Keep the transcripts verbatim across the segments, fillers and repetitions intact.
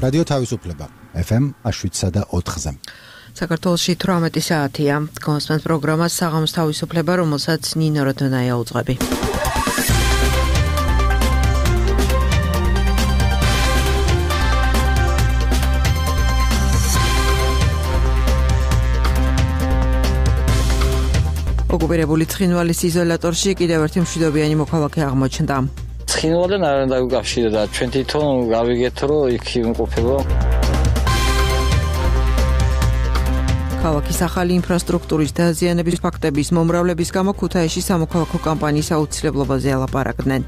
რადიო თავისუფლება ეფ ემ შვიდსა და ოთხზე. საქართველოში თვრამეტი საათია. კონსპენს პროგრამას საღამოს თავისუფლება, რომელსაც ნინო როდონაია უძღვები. ოკუპირებული ცხინვალის იზოლატორში კიდევ ერთი მშვიდობიანი მოქალაქე აღმოჩნდა. ცხინვალთან არ უნდა გაკავშირდა, ჩვენ თვითონ გავიგეთ, რომ იქ იმყოფება. ქალაქის ახალი ინფრასტრუქტურის დაზიანების ფაქტების მომრავლების გამო ქუთაისში სამოქალაქო კამპანიის აუცილებლობაზე ალაპარაკდნენ.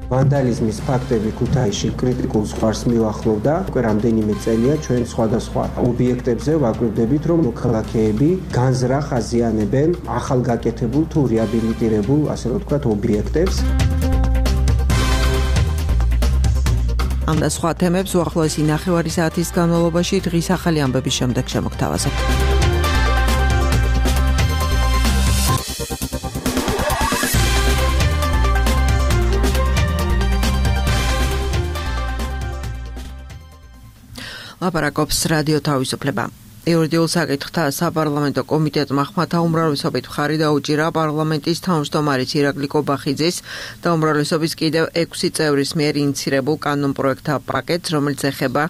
ვანდალიზმის ფაქტები ქუთაისში კრიტიკულ ზღვარს მივახლოვდა. უკვე რამდენიმე წელია ჩვენ სხვადასხვა ობიექტებზე ვაკლებდებით, რომ მოქალაქეები განზრახ აზიანებენ ახალგაკეთებულ თუ რეაბილიტირებულ, ასე რომ ვთქვათ, ობიექტებს. ამ და სხვა თემებს უახლოესი ნახევარი საათის განმავლობაში დღის ახალი ამბების შემდეგ შემოგთავაზებთ. ლაპარაკობს რადიო თავისუფლება. იურიდიულ საკითხთა საპარლამენტო კომიტეტმა ხმათა უმრავლესობით მხარი დაუჭირა პარლამენტის თავმჯდომარის ირაკლი კობახიძის და უმრავლესობის კიდევ ექვსი წევრის მიერ ინიცირებულ კანონპროექტთა პაკეტს, რომელიც ეხება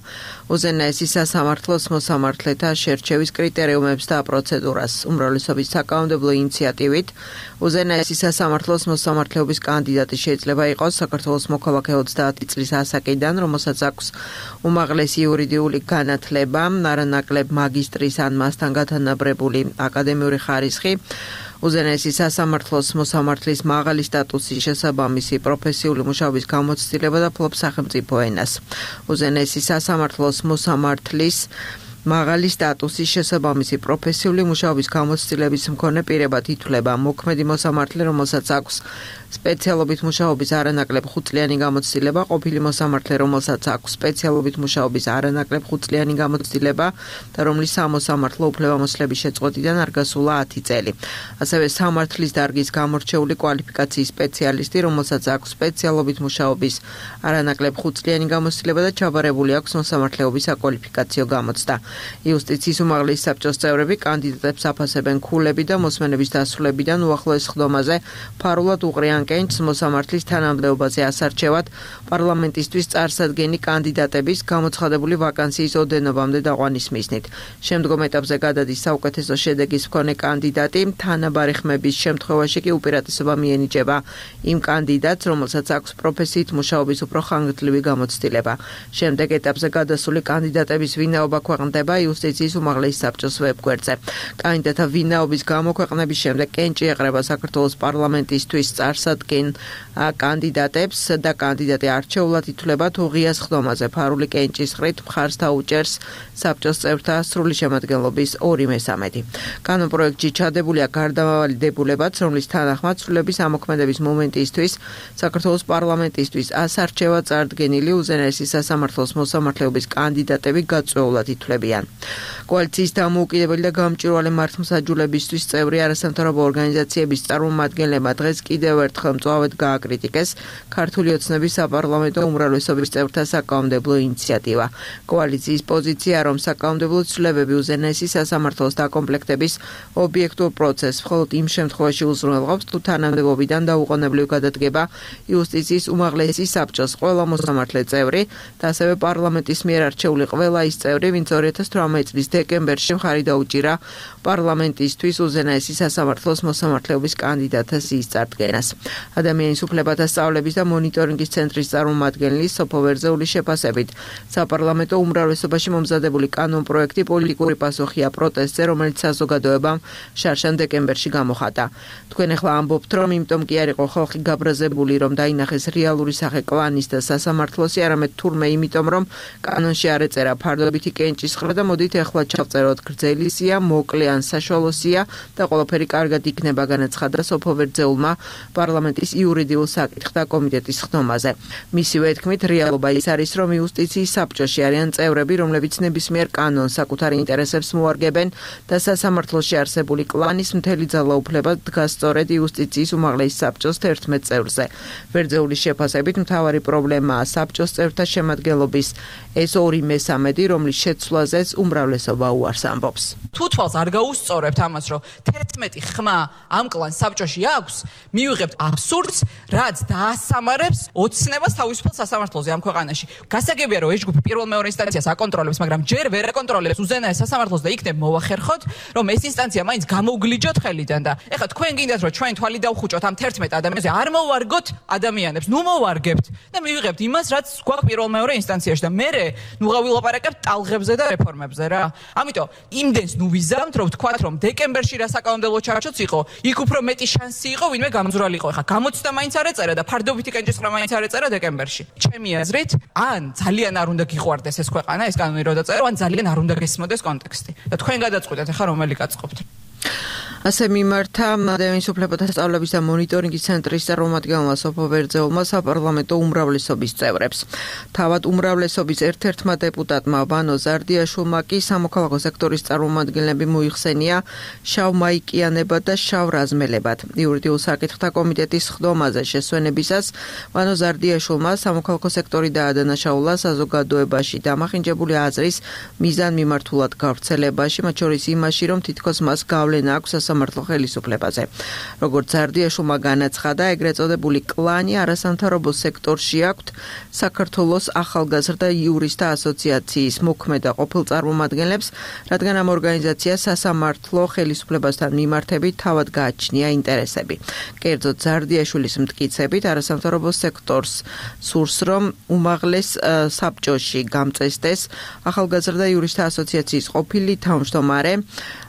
უზენაესი სასამართლოს მოსამართლეთა შერჩევის კრიტერიუმებს და პროცედურას. უმრავლესობის საკანონმდებლო ინიციატივით უზენაესი სასამართლოს მოსამართლეობის კანდიდატი შეიძლება იყოს საქართველოს მოქალაქე ოცდაათი წლის ასაკიდან, რომელსაც აქვს უმაღლესი იურიდიული განათლება, არანაკლებ მაგისტრის ან მასთან გათანაბრებული აკადემიური ხარისხი, უზენაესი სასამართლოს მოსამართლის მაღალი სტატუსის შესაბამისი პროფესიული მუშაობის გამოცდილება და ფლობს სახელმწიფო ენას. უზენაესი სასამართლოს მოსამართლის მაღალი სტატუსის შესაბამისი პროფესიული მუშაობის გამოცდილების მქონე პირებად ითვლება მოქმედი მოსამართლე, რომელსაც აქვს სპეციალობით მუშაობის არანაკლებ ხუთწლიანი გამოცდილება, ყოფილი მოსამართლე, რომელსაც აქვს სპეციალობით მუშაობის არანაკლებ ხუთწლიანი გამოცდილება და რომლის სამოსამართლო უფლებამოსილების შეწყვეტიდან არ გასულა ათი წელი. ასევე სამართლის დარგის გამორჩეული კვალიფიკაციის სპეციალისტი, რომელსაც აქვს სპეციალობით მუშაობის არანაკლებ ხუთწლიანი გამოცდილება და ჩაბარებული აქვს მოსამართლეობის საკვალიფიკაციო გამოცდა. იუსტიციის უმაღლესი საბჭოს წევრები კანდიდატებს აფასებენ ქულები და მოსმენების დასრულებიდან უახლოეს ხდომაზე ფარულად უყრიან კენჭს მოსამართლის თანამდებობაზე ასარჩევად პარლამენტისთვის წარსადგენი კანდიდატების გამოცხადებული ვაკანსიის ოდენობამდე დაყვანის მიზნით. შემდგომ ეტაპზე გადადის საუკეთესო შედეგის მქონე კანდიდატი, თანაბარი ხმების შემთხვევაში კი უპირატესობა მიენიჭება იმ კანდიდატს, რომელსაც აქვს პროფესიით მუშაობის უფრო ხანგრძლივი გამოცდილება. შემდეგ ეტაპზე გადასული კანდიდატების ვინაობა ქვეყნდება იუსტიციის უმაღლესი საბჭოს ვებგვერდზე. კანდიდატთა ვინაობის გამოქვეყნების შემდეგ კენჭი ეყრება საქართველოს პარლამენტისთვის წარსადგენ კანდიდატებს და კანდიდატი არჩეულად ითვლება თუ ღიას ხდომაზე ფარული კენჭის ხრით მხარს დაუჭერს საბჭოს წევრთა სრული შემადგენლობის ორი მესამედი. კანონპროექტში ჩადებულია გარდამავალი დებულებაც, რომლის თანახმად სრულების ამოქმედების მომენტისთვის საქართველოს პარლამენტისთვის ასარჩევად წარდგენილი უზენაესი სასამართლოს მოსამართლეობის კანდიდატები გაწვეულად ითვლებიან. კოალიციის დამოუკიდებელი და გამჭვირვალე მართლმსაჯულებისთვის წევრი არასამთავრობო ორგანიზაციების წარმომადგენლებმა დღეს კიდევ ერთხელ მწვავედ გააკრიტიკეს ქართული ოცნების საპარლამენტო უმრავლესობის წევრთა საკანონმდებლო ინიციატივა. კოალიციის პოზიცია, რომ საკანონმდებლო ცვლილებები უზენაესი სასამართლოს დაკომპლექტების ობიექტურ პროცესს მხოლოდ იმ შემთხვევაში უზრუნველყოფს, თუ თანამდებობიდან დაუყოვნებლივ გადადგება იუსტიციის უმაღლესი საბჭოს ყველა მოსამართლე წევრი და ასევე პარლამენტის მიერ არჩეული ყველა ის წევრი, ვინც ორი ათას თვრამეტი წლის დეკემბერში მხარი დაუჭირა პარლამენტისთვის უზენაესი სასამართლოს მოსამართლეობის კანდიდატთა სიის წარდგენას. ადამიანის უფლებათა სწავლების და მონიტორინგის ცენტრის წარმომადგენელი სოფო ვერძეულის შეფასებით, საპარლამენტო უმრავლესობაში მომზადებული კანონპროექტი პოლიტიკური პასუხია პროტესტზე, რომელიც საზოგადოებამ შარშან დეკემბერში გამოხატა. თქვენ ახლა ამბობთ, რომ იმიტომ კი არ იყო ხალხი გაბრაზებული, რომ დაინახეს რეალური სახე კლანის და სასამართლოსი, არამედ თურმე იმიტომ, რომ კანონში არ ეწერა ფარდობითი კენჭის დაასახელა და მოდით ეხლა ჩავწეროთ გრძელი სია, მოკლე ან საშუალო სია და ყველაფერი კარგად იქნება, განაცხადა სოფო ვერძეულმა პარლამენტის იურიდიულ საკითხთა კომიტეტის ხდომაზე. მისივე თქმით, რეალობა ის არის, რომ იუსტიციის საბჭოში არიან წევრები, რომლებიც ნებისმიერ კანონს საკუთარი ინტერესებს მოარგებენ და სასამართლოში არსებული კლანის მთელი ძალაუფლება დგას სწორედ იუსტიციის უმაღლეს საბჭოს თერთმეტ წევრზე. ვერძეულის შეფასებით მთავარი პრობლემაა საბჭოს წევრთა შემადგენლობის ეს ორი მესამედი, რომლის შეცვლაზეც უმრავლესობა უარს ამბობს. თუ თვალს არ გაუსწორებთ ამას, რომ თერთმეტი ხმა ამ კლანს საბჭოში აქვს, მივიღებთ აბსურდს, რაც დაასამარებს ოცნებას თავისუფალ სასამართლოზე ამ ქვეყანაში. გასაგებია, რომ ეს ჯგუფი პირველ მეორე ინსტანციას აკონტროლებს, მაგრამ ჯერ ვერ აკონტროლებს უზენაეს სასამართლოს და იქნებ მოვახერხოთ, რომ ეს ინსტანცია მაინც გამოვგლიჯოთ ხელიდან და ეხლა თქვენ გინდათ, რომ ჩვენ თვალი დავხუჭოთ ამ თერთმეტ ადამიანზე, არ მოვარგოთ ადამიანებს, ნუ მოვარგებთ და მივიღებთ იმას, რაც გვაქვს პირველ მეორე ინსტანციაში და მე ნუ გავილაპარაკებთ ტალღებზე და რეფორმებზე რა. ამიტომ იმდენს ნუ ვიზამთ, რომ ვთქვათ, რომ დეკემბერში რა საკანონმდებლო ჩარჩოც იყო, იქ უფრო მეტი შანსი იყო, ვინმე გამძვრალი იყო. ეხლა გამოცდა მაინც არ ეწერა და ფარდობითი კენჭისყრა მაინც არ ეწერა დეკემბერში. ჩემი აზრით, ან ძალიან არ უნდა გიყვარდეს ეს ქვეყანა, ეს კანონი რო დაწერო, ან ძალიან არ უნდა გესმოდეს კონტექსტი. და თქვენ გადაწყვეტეთ, ეხლა რომელი გაწყობთ. ასე მიმართა ადამიანის უფლებათა სწავლების და მონიტორინგის ცენტრის წარმომადგენელმა სოფო ვერძეულმა საპარლამენტო უმრავლესობის წევრებს. თავად უმრავლესობის ერთ-ერთმა დეპუტატმა ვანო ზარდიაშვილმა კი სამოქალაქო სექტორის წარმომადგენლები მოიხსენია შავ მაიკიანებად და შავ რაზმელებად. იურიდიულ საკითხთა კომიტეტის ხდომაზე შესვენებისას ვანო ზარდიაშვილმა სამოქალაქო სექტორი დაადანაშაულა საზოგადოებაში დამახინჯებული აზრის მიზანმიმართულად გავრცელებაში, მათ შორის იმაში, რომ თითქოს მას გავლენა აქვს სასამართლო ხელისუფლებაზე. როგორც ზარდიაშვილმა განაცხადა, ეგრეთ წოდებული კლანი არასამთავრობო სექტორში აქვთ საქართველოს ახალგაზრდა იურისტთა ასოციაციის მოქმედა ყოფილ წარმომადგენლებს, რადგან ამ ორგანიზაციას სასამართლო ხელისუფლებასთან მიმართებით თავად გააჩნია ინტერესები. კერძოდ ზარდიაშვილის მტკიცებით, არასამთავრობო სექტორს სურს, რომ უმაღლეს საბჭოში გამწესდეს ახალგაზრდა იურისტთა ასოციაციის ყოფილი თავმჯდომარე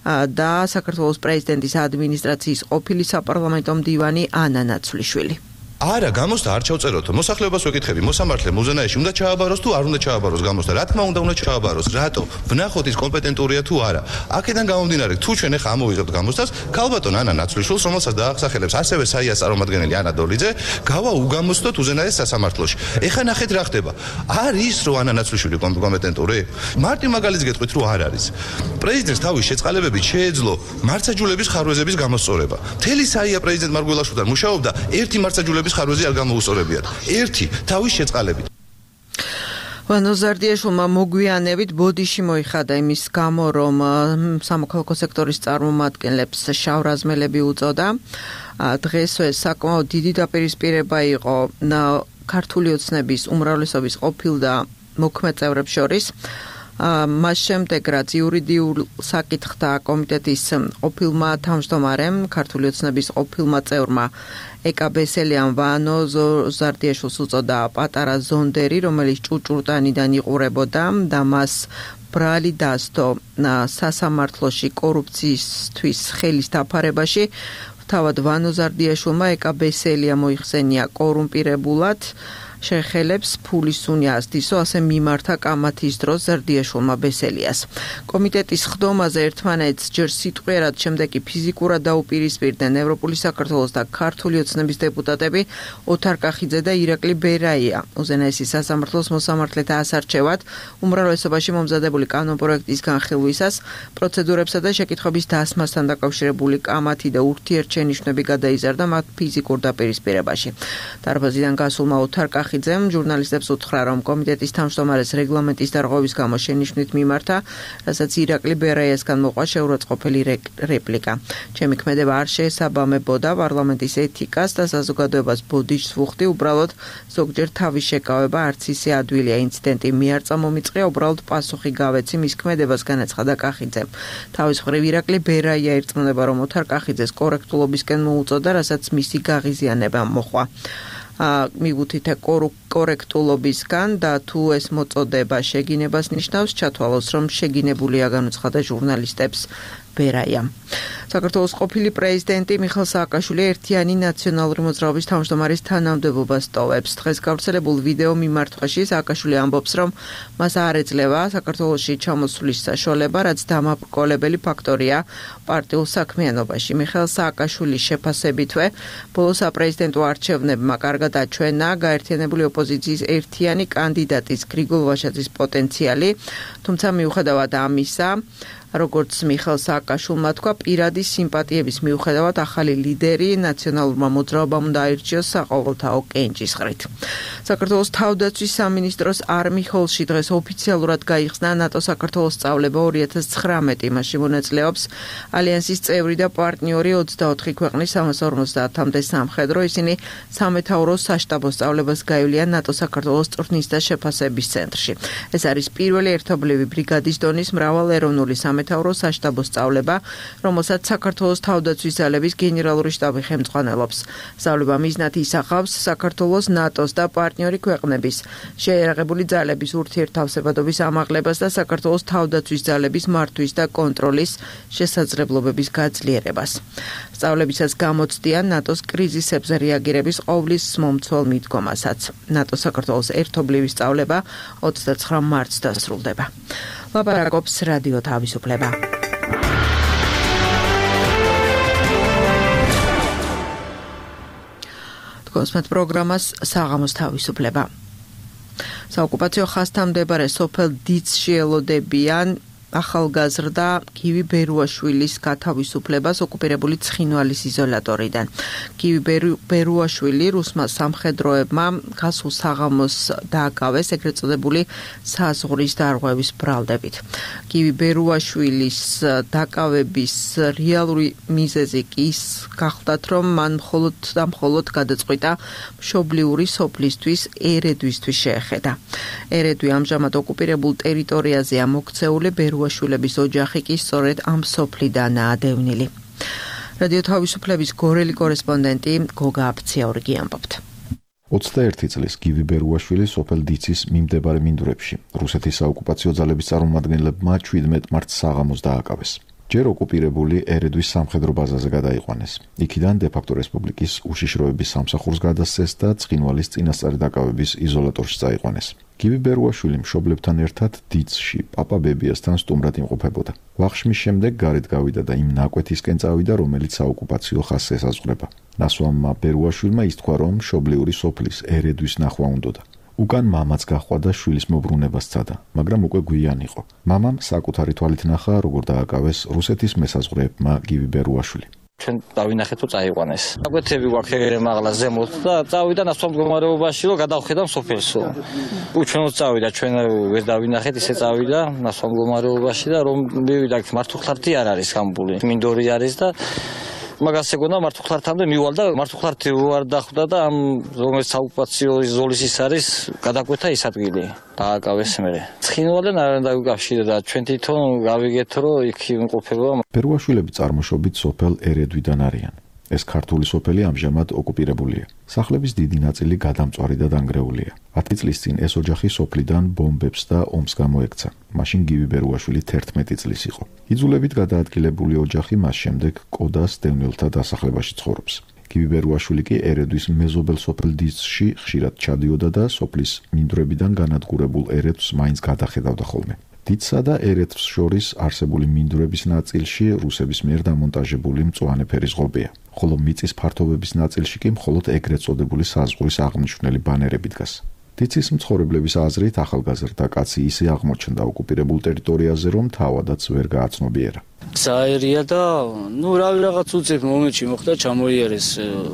და საქართველოს პრეზიდენტის ადმინისტრაციის ყოფილი საპარლამენტო მდივანი ანა ნაცვლიშვილი. არა, გამოსდა არ ჩავწეროთ. მოსახლეობას ვეკითხები, მოსამართლე მუზენაეში უნდა ჩააბაროს თუ არ უნდა ჩააბაროს გამოსდა. რა თქმა უნდა, უნდა ჩააბაროს. რატო? ვნახოთ ის კომპეტენტურია თუ არა. აქედან გამომდინარე, თუ ჩვენ ახლა ამოვიღებთ გამოსდას, ქალბატონ ანა ნაცვლიშვილს, რომელსაც დაახსახელებს ასევე საიას წარმომადგენელი ანა დოლიძე, გავა უგამოსდოთ უზენაეს სასამართლოში. ეხლა ნახეთ რა ხდება. არის რო ანა ნაცვლიშვილი კომპეტენტური? მარტი მაგალითს გეტყვით, რომ არ არის. პრეზიდენტს თავის შეწყალებებით შეეძლო მარცაჯულების ხარვეზების გამოსწორება. მთელი საია პრეზიდენტ მარგველაშვილთან მუშაობდა ერთი მარცაჯულების ხარვეზი არ გამოუსწორებიათ. ერთი თავის შეწყალებით. ვანო ზარდიაშვილმა მოგვიანებით ბოდიში მოიხადა იმის გამო, რომ სამოქალაქო სექტორის წარმომადგენლებს შავ რაზმელები უწოდა. დღეს ეს საკმაოდ დიდი დაპირისპირება იყო ქართული ოცნების უმრავლესობის ყოფილ და მოქმედ წევრებს შორის. მას შემდეგ, რაც იურიდიულ საკითხთა კომიტეტის ყოფილმა თავმჯდომარემ, ქართული ოცნების ყოფილმა წევრმა ეკა ბესელიან ვანო ზარდიაშვილს უწოდა პატარა ზონდერი, რომელიც ჭუჭურტანიდან იყურებოდა და მას ბრალი დასდო სასამართლოში კორუფციისთვის ხელის დაფარებაში. თავად ვანო ზარდიაშვილმა ეკა ბესელია მოიხსენია კორუმპირებულად, შეხელებს ფულის უნია ასდისო, ასე მიმართა კამათის დროს ზარდიაშვილმა ბესელიას. კომიტეტის ხდომაზე ერთმანეთს ჯერ სიტყვიერად, შემდეგ კი ფიზიკურად დაუპირისპირდნენ ევროპული საქართველოს და ქართული ოცნების დეპუტატები ოთარ კახიძე და ირაკლი ბერაია. უზენაესის სასამართლოს მოსამართლეთა ასარჩევად უმრავლესობაში მომზადებული კანონპროექტის განხილვისას პროცედურებსა და შეკითხვების დასმასთან დაკავშირებული კამათი და ურთიერთშენიშვნები გადაიზარდა მათ ფიზიკურ დაპირისპირებაში. დარბაზიდან გასულმა ოთარ კახიძემ ჟურნალისტებს უთხრა, რომ კომიტეტის თავმჯდომარეს რეგლამენტის დარღვევის გამო შენიშვნით მიმართა, რასაც ირაკლი ბერაიასგან მოყვა შეურაცხყოფელი რეპლიკა. ჩემი ქმედება არ შეესაბამებოდა პარლამენტის ეთიკას და საზოგადოებას ბოდიშს ვუხდი, უბრალოდ ზოგჯერ თავის შეკავება არც ისე ადვილია. ინციდენტი მე არ წამომიწყია, უბრალოდ პასუხი გავეცი მის ქმედებას, განაცხადა კახიძემ. თავის მხრივ ირაკლი ბერაია ირწმუნება, რომ ოთარ კახიძეს კორექტულობისკენ მოუწოდა, რასაც მისი გაღიზიანება მოხვა. მიგუთით კორექტულობისგან და თუ ეს მოწოდება შეგინებას ნიშნავს, ჩათვალოს, რომ შეგინებულია, განუცხადა ჟურნალისტებს ბერაია. საქართველოს ყოფილი პრეზიდენტი მიხეილ სააკაშვილი ერთიანი ნაციონალური მოძრაობის თავმჯდომარის თანამდებობას ტოვებს. დღეს გავრცელებულ ვიდეო მიმართვაში სააკაშვილი ამბობს, რომ მას არ ეძლევა საქართველოში ჩამოსვლის საშუალება, რაც დამაბრკოლებელი ფაქტორია პარტიულ საქმიანობაში. მიხეილ სააკაშვილის შეფასებითვე, ბოლო საპრეზიდენტო არჩევნებმა კარგად აჩვენა გაერთიანებული ოპოზიციის ერთიანი კანდიდატის გრიგოლ ვაჟაძის პოტენციალი, თუმცა მიუხედავად ამისა, როგორც მიხეილ სააკაშვილმა თქვა, პირადი სიმპათიების მიუხედავად ახალი ლიდერი ნაციონალურმა მოძრაობამ უნდა აირჩიოს საყოველთაო კენჭისყრით. საქართველოს თავდაცვის სამინისტროს არმიხოლში დღეს ოფიციალურად გაიხსნა ნატო საქართველოს სწავლება ორი ათას ცხრამეტი. მასში მონაწილეობს ალიანსის წევრი და პარტნიორი ოცდაოთხი ქვეყნის სამას ორმოცდაათამდე სამხედრო. ისინი სამეთაურო საშტაბო სწავლებას გაივლიან ნატო საქართველოს წვრთნის და შეფასების ცენტრში. ეს არის პირველი ერთობლივი ბრიგადის დონის მრავალეროვნული სამეთაურო საშტაბო სწავლება, რომელსაც საქართველოს თავდაცვის ძალების გენერალური შტაბი ხელმძღვანელობს. სწავლება მიზნად ისახავს საქართველოს, ნატოს და პარტნიორი ქვეყნების შეიარაღებული ძალების ურთიერთთავსებადობის ამაღლებას და საქართველოს თავდაცვის ძალების მართვის და კონტროლის შესაძლებლობების გაძლიერებას. სწავლებისას გამოცდიან ნატოს კრიზისებზე რეაგირების ყოვლის მომცველ მიდგომასაც. ნატო საქართველოს ერთობლივი სწავლება ოცდაცხრა მარტს დასრულდება. ლაპარაკობს რადიო თავისუფლება. თქვენს პროგრამას საღამოს თავისუფლება. საოკუპაციო ხაზთან მდებარე სოფელ დიცში ელოდებიან ახალგაზრდა გივი ბერუაშვილის გათავისუფლებას ოკუპირებული ცხინვალის იზოლატორიდან. გივი ბერუაშვილი რუსმა სამხედროებმა გასულ საღამოს დააკავეს ეგრეთ წოდებული საზღვრის დარღვევის ბრალდებით. გივი ბერუაშვილის დაკავების რეალური მიზეზი კი ის გახლდათ, რომ მან მხოლოდ და მხოლოდ გადაწყვიტა მშობლიური სოფლისთვის ერედვისთვის შეეხედა. ერედვი ამჟამად ოკუპირებულ ტერიტორიაზეა მოქცეული, ბერუაშვილების ოჯახი კი სწორედ ამ სოფლიდანაა დევნილი. რადიო თავისუფლების გორელი კორესპონდენტი გოგა აფციაურგი ამბობთ. ოცდაერთი წლის გივი ბერუაშვილი სოფელ დიცის მიმდებარე მინდვრებში რუსეთის საოკუპაციო ძალების წარმომადგენლებმა შვიდმეტ მარტს საღამოს დააკავეს. ჯერ ოკუპირებული ერედვის სამხედრო ბაზაზე გადაიყვანეს. იქიდან დე-ფაქტო რესპუბლიკის უშიშროების სამსახურს გადასცეს და ცხინვალის წინასწარი დაკავების იზოლატორში წაიყვანეს. გივი ბერუაშვილი მშობლებთან ერთად დიცში პაპა ბებიასთან სტუმრად იმყოფებოდა. ვახშმის შემდეგ გარეთ გავიდა და იმ ნაკვეთისკენ წავიდა, რომელიც საოკუპაციო ხაზს ესაზღვრება. ნასვამმა ბერუაშვილმა ითქვა, რომ მშობლიური სოფლის ერედვის ნახვა უნდოდა. უკან მამაც გაჰყვა და შვილის მობრუნება სცადა, მაგრამ უკვე გვიან იყო. მამამ საკუთარი თვალით ნახა, როგორ დააკავეს რუსეთის მესაზღვრეებმა გივი ბერუაშვილი. ჩვენ დავინახეთ, რომ წაიყვანეს. აკვეთები გვაქვს მაღლა ზემოთ და წავიდა ნასვამ მდგომარეობაში, რომ გადავხედა სოფელსო. უჩვენოდ წავიდა, ჩვენ ვერ დავინახეთ, ისე წავიდა ნასვამ მდგომარეობაში და რომ მივიდა მართუხლართი არ არის გამბული. მინდორი არის და მაგას ეგონა მართუხლართამდე მივალ და მართუხლართი უარ დახვდა და ამ რომელიც საოკუპაციო ზოლის ის არის გადაკვეთა ის ადგილი. დააკავეს მერე. ცხინვალენ არ უნდა უკავშირდა და ჩვენ თვითონ გავიგეთ, რომ იქ იმყოფება. ბერუაშვილები წარმოშობით სოფელ ერედვიდან არიან. ეს ქართული სოფელი ამჟამად ოკუპირებულია. სახლების დიდი ნაწილი გადამწვარი და დანგრეულია. ათი წლის წინ ეს ოჯახი სოფლიდან ბომბებს და ომს გამოექცა. მაშინ გივი ბერუაშვილი თერთმეტი წლის იყო. იძულებით გადაადგილებული ოჯახი მას შემდეგ კოდას დევნილთა დასახლებაში ცხოვრობს. გივი ბერუაშვილი კი ერედვის მეზობელ სოფელ დიცში ხშირად ჩადიოდა და სოფლის მინდვრებიდან განადგურებულ ერედვს მაინც გადახედავდა ხოლმე. დიცსა და ერედვს შორის არსებული მინდვრების ნაწილში რუსების მიერ დამონტაჟებული მწვანე ფერის ღობეა, ხოლო მიწის ფართობების ნაწილში კი მხოლოდ ეგრეთ წოდებული საზღვრის აღნიშნული ბანერები დგას. დიცის მცხოვრებლების აზრით ახალგაზრდა კაცი ისე აღმოჩნდა ოკუპირებულ ტერიტორიაზე, რომ თავადაც ვერ გააცნობიერა. საერია და ნუ რავი რაღაც უცებ მომენტში მოხდა ჩამოიარეს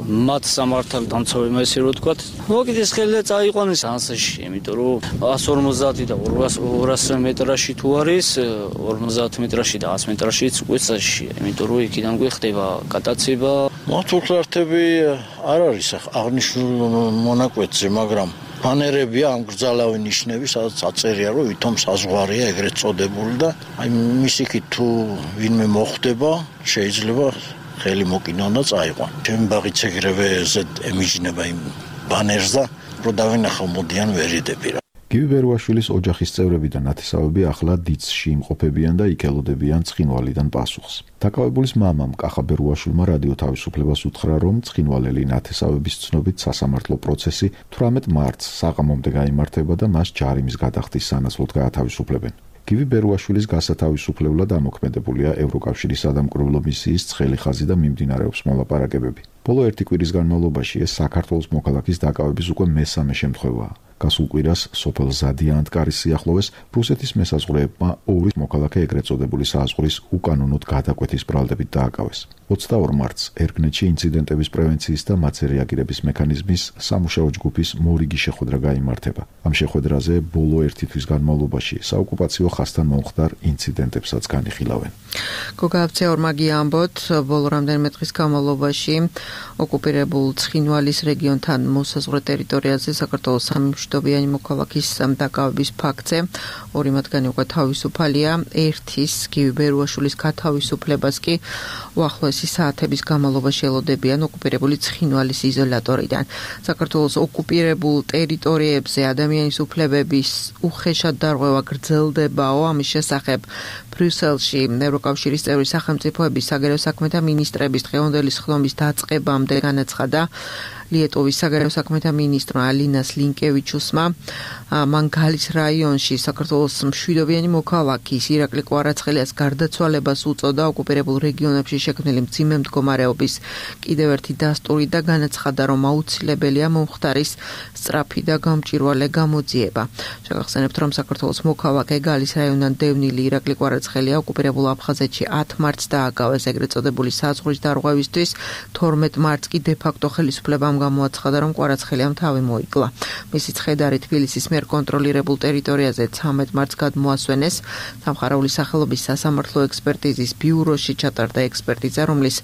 მათ სამართალ დამცავებმა ესე რომ თქვა. მოკიდეს ხელი და წაიყვანეს ანსაში, იმიტომ რომ εκατს ორმოცდაათი და ორას მეტრაში თუ არის, ორმოცდაათ მეტრაში და ას მეტრაშიც უკვე წაშია, იმიტომ რომ იქიდან გვეხდება გადაცება. მართუხლართები არ არის აღნიშნულ მონაკვეთზე, მაგრამ ბანერებია ამ გრძალავი ნიშნები, სადაც აწერია, რომ ვითომ საზღვარია ეგრეთ წოდებული და აი მისიქით თუ ვინმე მოხვდება, შეიძლება ხელი მოკინონ და წაიყვან. ჩემი ბაღიც ეგრევე ზედ ემიჯნება იმ ბანერს და რო დავინახავ მოდიან ვერ იდები რა. გივი ბერუაშვილის ოჯახის წევრები და ნათესავები ახლა დიცში იმყოფებიან და იქ ელოდებიან ცხინვალიდან პასუხს. დაკავებულის მამამ კახა ბერუაშვილმა რადიო თავისუფლებას უთხრა, რომ ცხინვალელი ნათესავების ცნობით სასამართლო პროცესი თვრამეტ მარტს საღამომდე გაიმართება და მას ჯარიმის გადახდის სანაცვლოდ გაათავისუფლებენ. გივი ბერუაშვილის გასათავისუფლებლად ამოქმედებულია ევროკავშირის სადამკვირვებლო მისიის ცხელი ხაზი და მიმდინარეობს მოლაპარაკებები. ბოლო ერთი კვირის განმავლობაში ეს საქართველოს მოქალაქის დაკავების უკვე მესამე შემთხვევაა. გასულ კვირას სოფელ ზადიანტკარის სიახლოვეს რუსეთის მესაზღვრეებმა ორი მოქალაქე ეგრეთ წოდებული საზღვრის უკანონოდ გადაკვეთის ბრალდებით დააკავეს. ოცდაორ მარტს ერგნეთში ინციდენტების პრევენციის და მათზე რეაგირების მექანიზმის სამუშაო ჯგუფის მორიგი შეხვედრა გაიმართება. ამ შეხვედრაზე ბოლო ერთი თვის განმავლობაში საოკუპაციო ხაზთან მომხდარ ინციდენტებსაც განიხილავენ. გოგავცე ორმაგი ამბოთ, ბოლო რამდენიმე დღის განმავლობაში ოკუპირებულ ცხინვალის რეგიონთან მოსაზღვრე ტერიტორიაზე საქართველოს სამი მშვიდობიანი მოქალაქის დაკავების ფაქტზე ორი მათგანი უკვე თავისუფალია, ერთის გივი ბერუაშვილის გათავისუფლებას კი უახლოესი საათების განმავლობაში ელოდებიან ოკუპირებული ცხინვალის იზოლატორიდან. საქართველოს ოკუპირებულ ტერიტორიებზე ადამიანის უფლებების უხეშად დარღვევა გრძელდებაო, ამის შესახებ ბრიუსელში ევროკავშირის წევრი სახელმწიფოების საგარეო საქმეთა მინისტრების დღევანდელი სხდომის დაწყებამდე განაცხადა ლიეტოვის საგარეო საქმეთა მინისტრმა ალინას ლინკევიჩუსმა, მან გალის რაიონში საქართველოს მშვიდობიანი მოქალაქის ირაკლი კვარაცხელიას გარდაცვალებას უწოდა ოკუპირებულ რეგიონებში შექმნილი მძიმე მდგომარეობის კიდევ ერთი დასტური და განაცხადა, რომ აუცილებელია მომხდარის სწრაფი და გამჭვირვალე გამოძიება. შეგახსენებთ, რომ საქართველოს მოქალაქე გალის რაიონიდან დევნილი ირაკლი კვარაცხელია ოკუპირებულ აფხაზეთში ათ მარტს დააკავეს ეგრეთ წოდებული საზღვრის დარღვევისთვის, თორმეტ მარტს კი დე-ფაქტო ხელისუფლებამ გამოაცხადა, რომ კვარაცხელიამ თავი მოიკლა. მისი ცხედარი თბილისის მიერ კონტროლირებულ ტერიტორიაზე ცამეტ მარტს გადმოასვენეს. სამხარეული სახელობის სასამართლო ექსპერტიზის ბიუროში ჩატარდა ექსპერტიზა, რომლის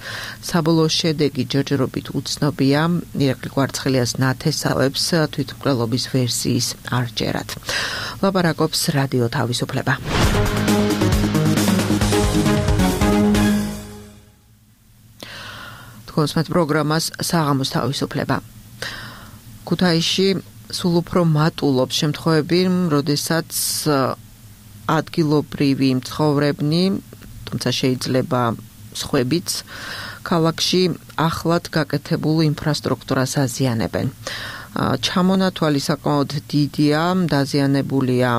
საბოლოო შედეგი ჯერჯერობით უცნობია. ირაკლი კვარაცხელიას ნათესავებს თვითმკვლელობის ვერსიის არ ჯერათ. ლაპარაკობს რადიო თავისუფლება. თქოსმეთ პროგრამას საღამოს თავისუფლება. ქუთაისში სულ უფრო მატულობს შემთხვევები, როდესაც ადგილობრივი მცხოვრებნი, თუმცა შეიძლება სხვებიც, ქალაქში ახლად გაკეთებულ ინფრასტრუქტურას აზიანებენ. ჩამონათვალი საკმაოდ დიდია, დაზიანებულია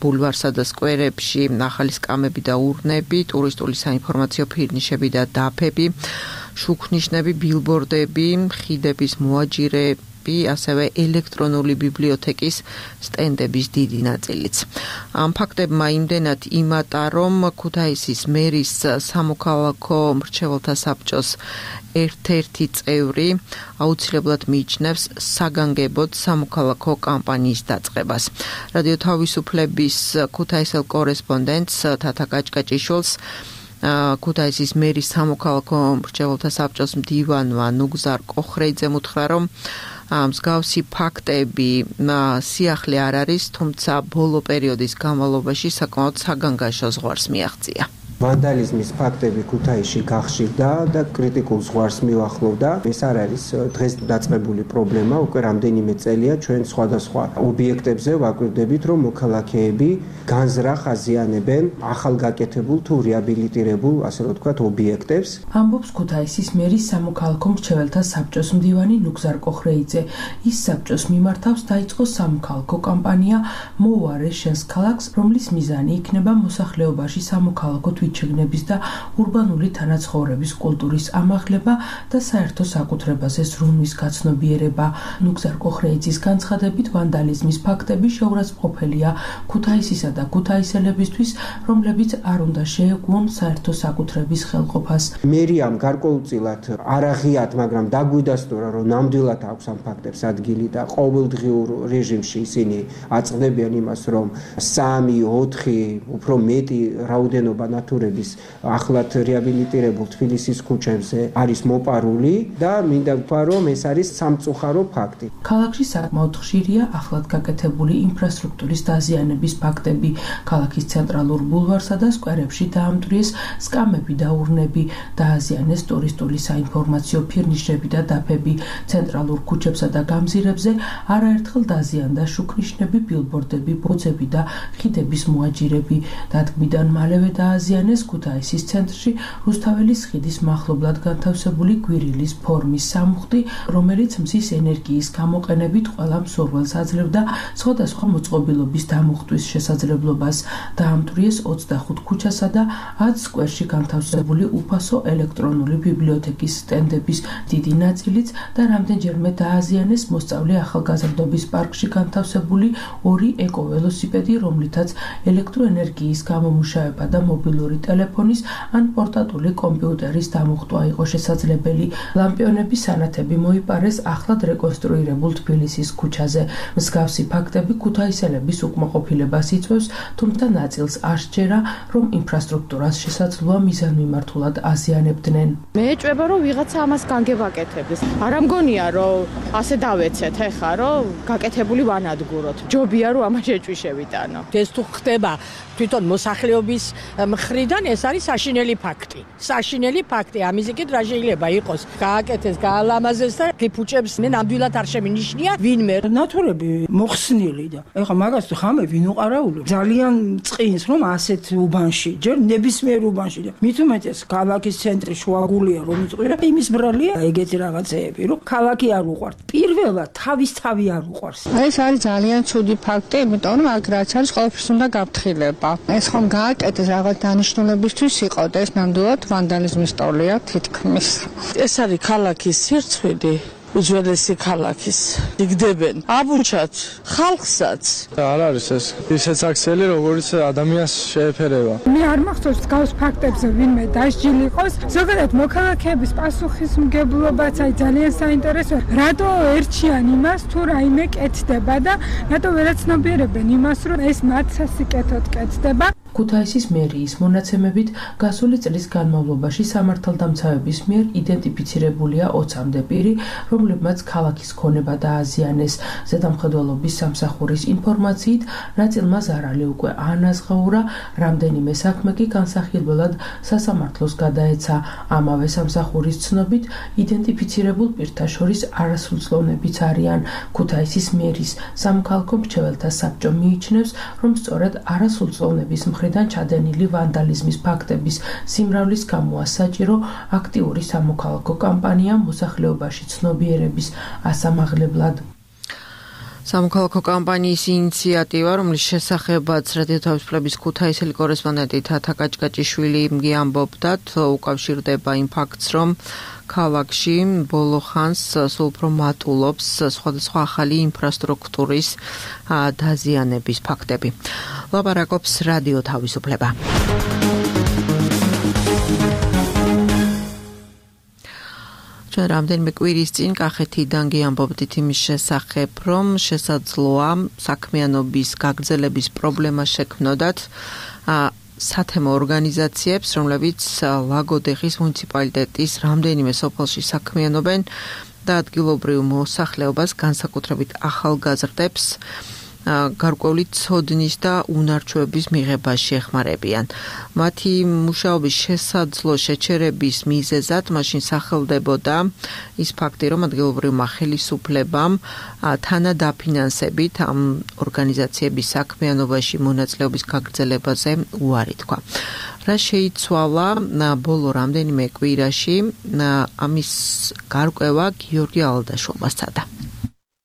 ბულვარსა და სკვერებში ახალი სკამები და ურნები, ტურისტული საინფორმაციო ფირნიშები და დაფები, შუქნიშნები, ბილბორდები, ხიდების მოაჯირები, ასევე ელექტრონული ბიბლიოთეკის სტენდების დიდი ნაწილიც. ამ ფაქტებმა იმდენად იმატა, რომ ქუთაისის მერის სამოქალაქო მრჩეველთა საბჭოს ერთ-ერთი წევრი აუცილებლად მიიჩნევს საგანგებოდ სამოქალაქო კამპანიის დაწყებას. რადიო თავისუფლების ქუთაისელ კორესპონდენტს თათა კაჭკაჭიშვილს ქუთაისის მერის სამოქალაქო მრჩეველთა საბჭოს მდივანმა ნუგზარ კოხრეიძემ უთხრა, რომ მსგავსი ფაქტები სიახლე არ არის, თუმცა ბოლო პერიოდის განმავლობაში საკმაოდ საგანგაშო ზღვარს მიაღწია. ვანდალიზმის ფაქტები ქუთაისში გახშირდა და კრიტიკულ ზღვარს მიუახლოვდა. ეს არ არის დღეს დაწყებული პრობლემა, უკვე რამდენიმე წელია ჩვენ სხვადასხვა ობიექტებზე ვაკვირდებით, რომ მოქალაქეები განზრახ აზიანებენ ახალგაკეთებულ თუ რეაბილიტირებულ, ასე რომ ვთქვათ, ობიექტებს. ამბობს ქუთაისის მერის სამოქალაქო მრჩეველთა საბჭოს მდივანი ნუგზარ კოხრეიძე. ის საბჭოს მიმართავს დაიწყო სამოქალაქო კამპანია მოუარე შენს ქალაქს, რომლის მიზანი იქნება მოსახლეობაში სამოქალაქო შეგნების და ურბანული თანაცხოვრების კულტურის ამაღლება და საერთო საკუთრებაზე ზრუნვის გაცნობიერება. ნუგზარ კოხრეიძის განცხადებით, ვანდალიზმის ფაქტები შეურაცხმყოფელია ქუთაისისა და ქუთაისელებისთვის, რომლებიც არ უნდა შეეგუონ საერთო საკუთრების ხელყოფას. მერიამ გარკვეულწილად არ აღიათ, მაგრამ დაგვიდასტურა, რომ ნამდვილად აქვს ამ ფაქტებს ადგილი და ყოველდღიურ რეჟიმში ისინი აწყდებიან იმას, რომ სამი, ოთხი, უფრო მეტი რაოდენობა ნატურალური მიმართულების ახლად რეაბილიტირებულ თბილისის ქუჩებზე არის მოპარული და მინდა ვთქვა, რომ ეს არის სამწუხარო ფაქტი. ქალაქში საკმაოდ ხშირია ახლად გაკეთებული ინფრასტრუქტურის დაზიანების ფაქტები. ქალაქის ცენტრალურ ბულვარსა და სკვერებში დაამტვრიეს სკამები და ურნები, დააზიანეს ტურისტული საინფორმაციო ფირნიშები და დაფები. ცენტრალურ ქუჩებსა და გამზირებზე არაერთხელ დაზიანდა შუქნიშნები, ბილბორდები, ბოძები და ხიდების მოაჯირები. დადგმიდან მალევე დააზიანეს ქუთაისის ცენტრში რუსთაველის ხიდის მახლობლად განთავსებული გვირილის ფორმის სამუხტი, რომელიც მზის ენერგიის გამოყენებით ყველა მსურველს აძლევდა სხვადასხვა მოწყობილობის დამუხტვის შესაძლებლობას. დაამტვრიეს ოცდახუთ ქუჩასა და ათ სკვერში განთავსებული უფასო ელექტრონული ბიბლიოთეკის სტენდების დიდი ნაწილიც და რამდენჯერმე დააზიანეს მოსწავლე ახალგაზრდობის პარკში განთავსებული ორი ეკოველოსიპედი, რომლითაც ელექტროენერგიის გამომუშავება და მობილური ტელეფონის ან პორტატული კომპიუტერის დამუხტვა იყო შესაძლებელი. ლამპიონების სანათები მოიპარეს ახლად რეკონსტრუირებულ თბილისის ქუჩაზე. მსგავსი ფაქტები ქუთაისელების უკმაყოფილებას იწვევს, თუმცა ნაწილს არ სჯერა, რომ ინფრასტრუქტურას შესაძლოა მიზანმიმართულად აზიანებდნენ. მე ეჭვება, რომ ვიღაცა ამას განგებაკეთებს. არ ამგონია, რომ ასე დავეცეთ ეხა, რომ გაკეთებული ვანადგუროთ. ჯობია, რომ ამას შეჭვიშევიტანო. ეს თუ ხდება თვითონ მოსახლეობის მხრიდან, ეს არის საშინელი ფაქტი. საშინელი ფაქტი, ამისიკეთ რა შეიძლება იყოს. გააკეთეს, გაალამაზეს და ფუჭებს მე ნამდვილად არ შემინიშნია ვინმე. ნატურები მოხსნილი და ეხა მაგას თუ ხამე ვინ უყარაული. ძალიან წინს რომ ასეთ უბანში, ჯერ ნებისმიერ უბანში და მით უმეტეს ქალაქის ცენტრი შუაგულია რომ იწყვირა, იმის ბრალია ეგეთი რაღაცეები, რომ ქალაქი არ უყვართ. პირველად თავის თავი არ უყვარს. ეს არის ძალიან ცუდი ფაქტი, იმიტომ რომ აქ რაც არის ყველაფერს უნდა გაფრთხილება. ეს ხომ გააკეთეს რაღაც დანიშნულებისთვის იყო და ეს ნამდვილად ვანდალიზმის ტოლია თითქმის. ეს არის ქალაქის სირცხვილი. უძველესი ქალაქის იგდებენ აბუჩაც ხალხსაც არ არის ეს ისეთ აქციელი როგორც ადამიანს შეეფერება. მე არ მახსოვს გავს ფაქტებზე ვინმე დასჯილი იყოს. ზოგადად მოქალაქეების პასუხისმგებლობაც აი ძალიან საინტერესოა. რატო ერჩიან იმას თუ რაიმე კეთდება და რატო ვერაცნობიერებენ იმას რომ ეს მათ სასიკეთოდ კეთდება. ქუთაისის მერიის მონაცემებით გასული წლის განმავლობაში სამართალდამცავების მიერ იდენტიფიცირებულია ოცამდე პირი, რომლებმაც ქალაქის ქონება დააზიანეს. ზედამხედველობის სამსახურის ინფორმაციით, ნაწილმა ზარალი უკვე ანაზღაურა, რამდენიმე საქმე კი განსახილველად სასამართლოს გადაეცა. ამავე სამსახურის ცნობით, იდენტიფიცირებულ პირთა შორის არასრულწლოვნებიც არიან. ქუთაისის მერის სამოქალაქო მრჩეველთა საბჭო მიიჩნევს, რომ სწორედ არასრულწლოვნების მხრიდან ჩადენილი ვანდალიზმის ფაქტების სიმრავლის გამოა საჭირო აქტიური სამოქალაქო კამპანია მოსახლეობაში ცნობიერების ასამაღლებლად. სამოქალაქო კამპანიის ინიციატივა, რომლის შესახებაც რადიო თავისუფლების ქუთაისელი კორესპონდენტი თათა კაჭკაჭიშვილი ამბობდათ, უკავშირდება იმ ფაქტს, რომ ქალაქში ბოლო ხანს სულ უფრო მატულობს სხვადასხვა ახალი ინფრასტრუქტურის დაზიანების ფაქტები. ლაპარაკობს რადიო თავისუფლება. ჩვენ რამდენიმე კვირის წინ კახეთიდან გიამბობდით იმის შესახებ, რომ შესაძლოა საქმიანობის გაგრძელების პრობლემა შექმნოდათ სათემო ორგანიზაციებს, რომლებიც ლაგოდეხის მუნიციპალიტეტის რამდენიმე სოფელში საქმიანობენ და ადგილობრივ მოსახლეობას, განსაკუთრებით ახალგაზრდებს, გარკვეული ცოდნის და უნარჩვების მიღებაში ეხმარებიან. მათი მუშაობის შესაძლო შეჩერების მიზეზად მაშინ სახელდებოდა ის ფაქტი, რომ ადგილობრივმა ხელისუფლებამ თანადაფინანსებით ამ ორგანიზაციების საქმიანობაში მონაწილეობის გაგრძელებაზე უარი თქვა. რა შეიცვალა ბოლო რამდენიმე კვირაში, ამის გარკვევა გიორგი ალდაშოვმა სცადა.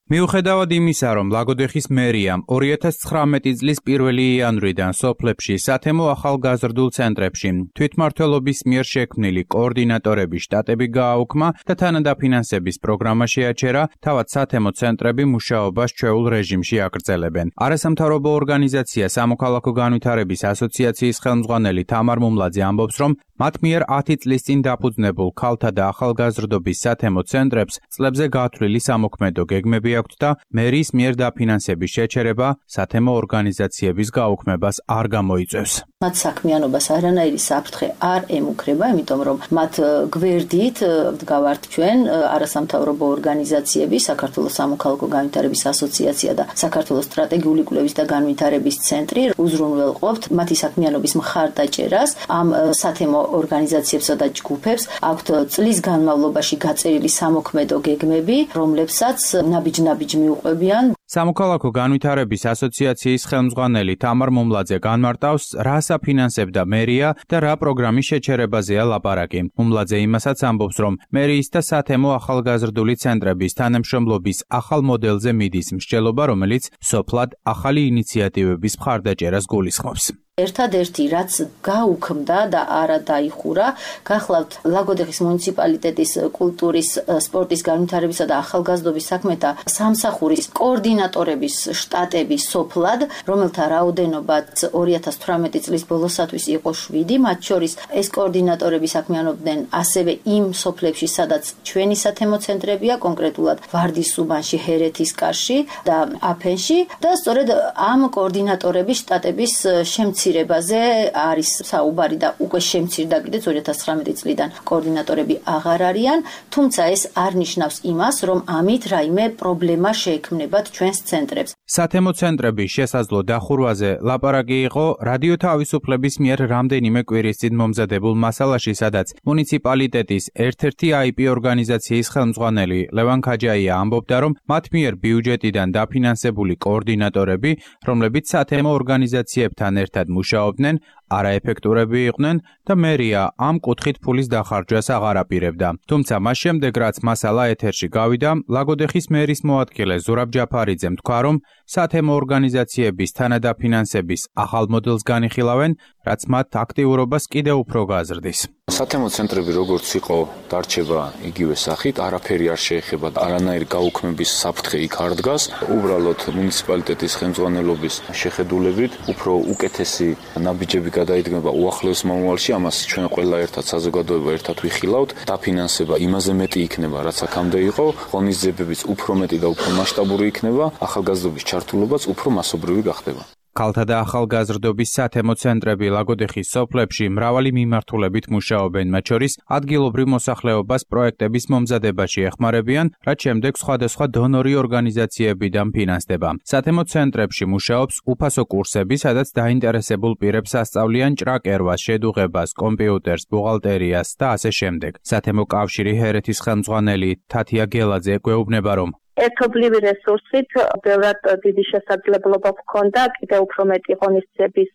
მიუხედავად იმისა, რომ ლაგოდეხის მერიამ ორი ათას ცხრამეტი წლის პირველი იანვრიდან სოფლებში სათემო ახალგაზრდულ ცენტრებში თვითმმართველობის მიერ შექმნილი კოორდინატორების შტატები გააუქმა და თანადაფინანსების პროგრამა შეაჩერა, თავად სათემო ცენტრები მუშაობას ჩვეულ რეჟიმში აგრძელებენ. არასამთავრობო ორგანიზაცია სამოქალაქო განვითარების ასოციაციის ხელმძღვანელი თამარ მუმლაძე ამბობს, რომ მათ მიერ ათი წლის წინ დაფუძნებულ ქალთა და ახალგაზრდობის სათემო ცენტრებს წლებზე გათვლილი სამოქმედო გეგმები აქვთ და მერის მიერ დაფინანსების შეჩერება სათემო ორგანიზაციების გაუქმებას არ გამოიწვევს. მათ საქმიანობას არანაირი საფრთხე არ ემუქრება, იმიტომ რომ მათ გვერდით დგავართ ჩვენ არასამთავრობო ორგანიზაციები, საქართველოს სამოქალაქო განვითარების ასოციაცია და საქართველოს სტრატეგიული კვლევის და განვითარების ცენტრი უზრუნველყოფთ მათი საქმიანობის მხარდაჭერას. ამ სათემო ორგანიზაციებსა და ჯგუფებს აქვთ წლის განმავლობაში გაწერილი სამოქმედო გეგმები, რომლებსაც ნაბიჯ-ნაბიჯ მიუყვებიან. სამოქალაქო განვითარების ასოციაციის ხელმძღვანელი თამარ მომლაძე განმარტავს, რას აფინანსებდა მერია და რა პროგრამის შეჩერებაზეა ლაპარაკი. მომლაძე იმასაც ამბობს, რომ მერიის და სათემო ახალგაზრდული ცენტრების თანამშრომლობის ახალ მოდელზე მიდის მსჯელობა, რომელიც სოფლად ახალი ინიციატივების მხარდაჭერას გულისხმობს. ერთადერთი რაც გაუქმდა და არა დაიხურა, გახლავთ ლაგოდეხის მუნიციპალიტეტის კულტურის, სპორტის, განვითარებისა და ახალგაზრდობის საქმეთა სამსახურის კოორდინატორების შტატები სოფლად, რომელთა რაოდენობაც ორი ათას თვრამეტი წლის ბოლოსათვის იყო შვიდი, მათ შორის ეს კოორდინატორები საქმიანობდნენ ასევე იმ სოფლებში, სადაც ჩვენი სათემო ცენტრებია, კონკრეტულად ვარდის უბანში, ჰერეთის კარში და აფენში და სწორედ ამ კოორდინატორების შტატების შემცირება ზე არის საუბარი და უკვე შემცირდა კიდეც ორი ათას ცხრამეტი წლიდან კოორდინატორები აღარ არიან, თუმცა ეს არ ნიშნავს იმას, რომ ამით რაიმე პრობლემა შეექმნებათ ჩვენს ცენტრებს. სათემო ცენტრების შესაძლო დახურვაზე ლაპარაკი იყო რადიო თავისუფლების მიერ რამდენიმე კვირის წინ მომზადებულ მასალაში, სადაც მუნიციპალიტეტის ერთ-ერთი აი პი ორგანიზაციის ხელმძღვანელი ლევან ქაჯაია ამბობდა, რომ მათ მიერ ბიუჯეტიდან დაფინანსებული კოორდინატორები, რომლებიც სათემო ორგანიზაციებთან ერთად მუშაობდნენ, არაეფექტურები იყვნენ და მერია ამ კუთხით ფულის დახარჯვას აღარ აპირებდა. თუმცა მას შემდეგ, რაც მასალა ეთერში გავიდა, ლაგოდეხის მერის მოადგილე ზურაბ ჯაფარიძემ თქვა, რომ სათემო ორგანიზაციების თანადაფინანსების ახალ მოდელს განიხილავენ, რაც მათ აქტიურობას კიდევ უფრო გაზრდის. სათემო ცენტრები როგორც იყო დარჩება იგივე სახით, არაფერი არ შეეხება, არანაირი გაუქმების საფრთხე იქ არ დგას. უბრალოდ მუნიციპალიტეტის ხელმძღვანელობის შეხედულებით უფრო უკეთესი ნაბიჯები გადაიდგება უახლოეს მომავალში, ამას ჩვენ ყველა ერთად საზოგადოება ერთად ვიხილავთ. დაფინანსება იმაზე მეტი იქნება, რაც აქამდე იყო, ღონისძიებებიც უფრო მეტი და უფრო მასშტაბური იქნება, ახალგაზრდობის ჩართულობაც უფრო მასობრივი გახდება. ქალთა და ახალგაზრდობის სათემო ცენტრები ლაგოდეხის სოფლებში მრავალი მიმართულებით მუშაობენ, მათ შორის ადგილობრივ მოსახლეობას პროექტების მომზადებაში ეხმარებიან, რაც შემდეგ სხვადასხვა დონორი ორგანიზაციებიდან ფინანსდება. სათემო ცენტრებში მუშაობს უფასო კურსები, სადაც დაინტერესებულ პირებს ასწავლიან ჭრაკერვას, შედუღებას, კომპიუტერს, ბუღალტერიას და ასე შემდეგ. სათემო კავშირი ჰერეთის ხელმძღვანელი თათია გელაძე გვეუბნება, რომ ერთობლივი რესურსით ბევრად დიდი შესაძლებლობა ჰქონდა კიდევ უფრო მეტი ღონისძიების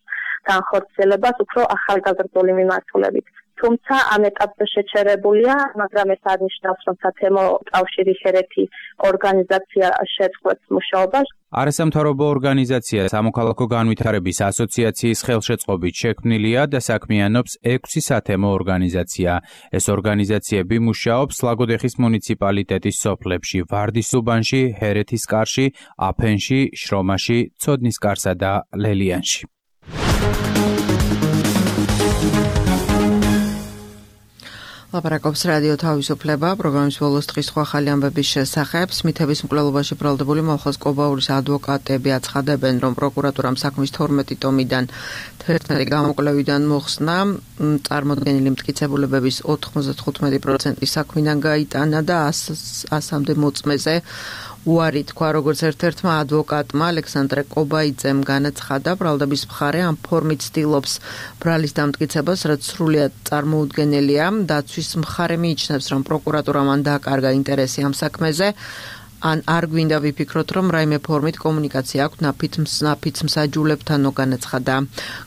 განხორციელებას უფრო ახალგაზრდული მიმართულებით. თუმცა ამ ეტაპზე შეჩერებულია, მაგრამ ეს არ ნიშნავს, რომ სათემო კავშირი ჰერეთი ორგანიზაცია შეწყვეტს მუშაობას. არასამთავრობო ორგანიზაცია სამოქალაქო განვითარების ასოციაციის ხელშეწყობით შექმნილია და საქმიანობს ექვსი სათემო ორგანიზაცია. ეს ორგანიზაციები მუშაობს ლაგოდეხის მუნიციპალიტეტის სოფლებში, ვარდის უბანში, ჰერეთის კარში, აფენში, შრომაში, ცოდნისკარსა და ლელიანში. ლაპარაკობს რადიო თავისუფლება, პროგრამის ბოლოს დღის სხვა ახალი ამბების შესახებ. სმითების მკვლელობაში ბრალდებული მოლხოს კობაურის ადვოკატები აცხადებენ, რომ პროკურატურამ საქმის თორმეტი ტომიდან თერთმეტი გამოკვლევიდან მოხსნა წარმოდგენილი მტკიცებულებების ოთხმოცდათხუთმეტი პროცენტი საქმიდან გაიტანა და ასამდე მოწმეზე უარი თქვა, როგორც ერთ-ერთმა ადვოკატმა ალექსანდრე კობაიძემ განაცხადა, ბრალდების მხარე ამ ფორმით ცდილობს ბრალის დამტკიცებას, რაც სრულიად წარმოუდგენელია. დაცვის მხარე მიიჩნევს, რომ პროკურატურამ ან დააკარგა ინტერესი ამ საქმეზე, ან არ გვინდა ვიფიქროთ, რომ რაიმე ფორმით კომუნიკაცია აქვს ნაფიც მსაჯულებთანო, განაცხადა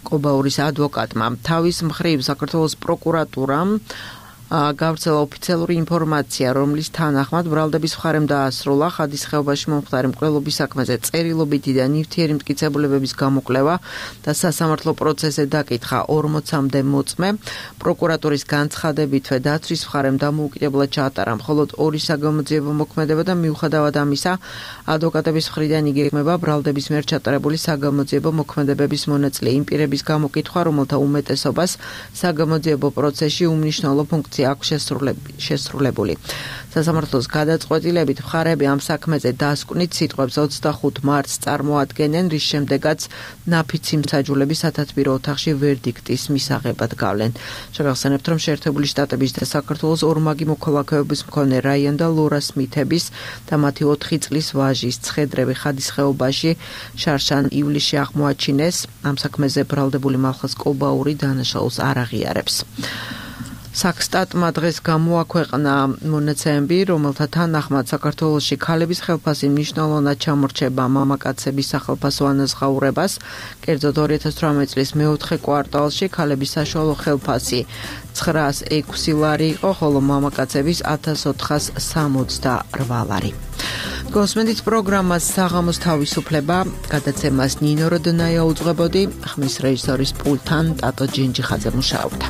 კობაურის ადვოკატმა. თავის მხრივ საქართველოს პროკურატურამ გავრცელა ოფიციალური ინფორმაცია, რომლის თანახმად ბრალდების მხარემ დაასრულა ხადის ხეობაში მომხდარი მკვლელობის საქმეზე წერილობითი და ნივთიერი მტკიცებულებების გამოკვლევა და სასამართლო პროცესზე დაკითხა ორმოცამდე მოწმე. პროკურატურის განცხადებითვე დაცვის მხარემ დამოუკიდებლად ჩაატარა მხოლოდ ორი საგამოძიებო მოქმედება და მიუხედავად ამისა, ადვოკატების მხრიდან იგეგმება ბრალდების მიერ ჩატარებული საგამოძიებო მოქმედებების მონაწილე იმ პირების გამოკითხვა, რომელთა უმეტესობას საგამოძიებო პროცესში უმნიშვნელო ფუნქცია პროექტი აქვს შესრულებული. სასამართლოს გადაწყვეტილებით მხარეები ამ საქმეზე დასკვნით სიტყვებს ოცდახუთ მარტს წარმოადგენენ, რის შემდეგაც ნაფიცი მსაჯულები სათათბირო ოთახში ვერდიქტის მისაღებად გავლენ. შეგახსენებთ, რომ შეერთებული შტატების და საქართველოს ორმაგი მოქალაქეობის მქონე რაიან და ლორას მითების და მათი ოთხი წლის ვაჟის ცხედრები ხადის ხეობაში შარშან ივლისში აღმოაჩინეს. ამ საქმეზე ბრალდებული მალხაზ კობაური დანაშაულს არ აღიარებს. საქსტატმა დღეს გამოაქვეყნა მონაცემები, რომელთა თანახმად საქართველოში ქალების ხელფასი მნიშვნელოვნად ჩამორჩება მამაკაცების სახელფასო ანაზღაურებას. კერძოდ ორი ათას თვრამეტი წლის მეოთხე კვარტალში ქალების საშუალო ხელფასი ცხრაას ექვსი ლარი იყო, ხოლო მამაკაცების ათას ოთხას სამოცდაორ ლარი. გოსმენდით პროგრამას საღამოს თავისუფლება, გადაცემას ნინო როდნაია უძღვებოდი, ხმის რეჟისორის პულტთან ტატო ჯინჯიხაძე მუშაობდა.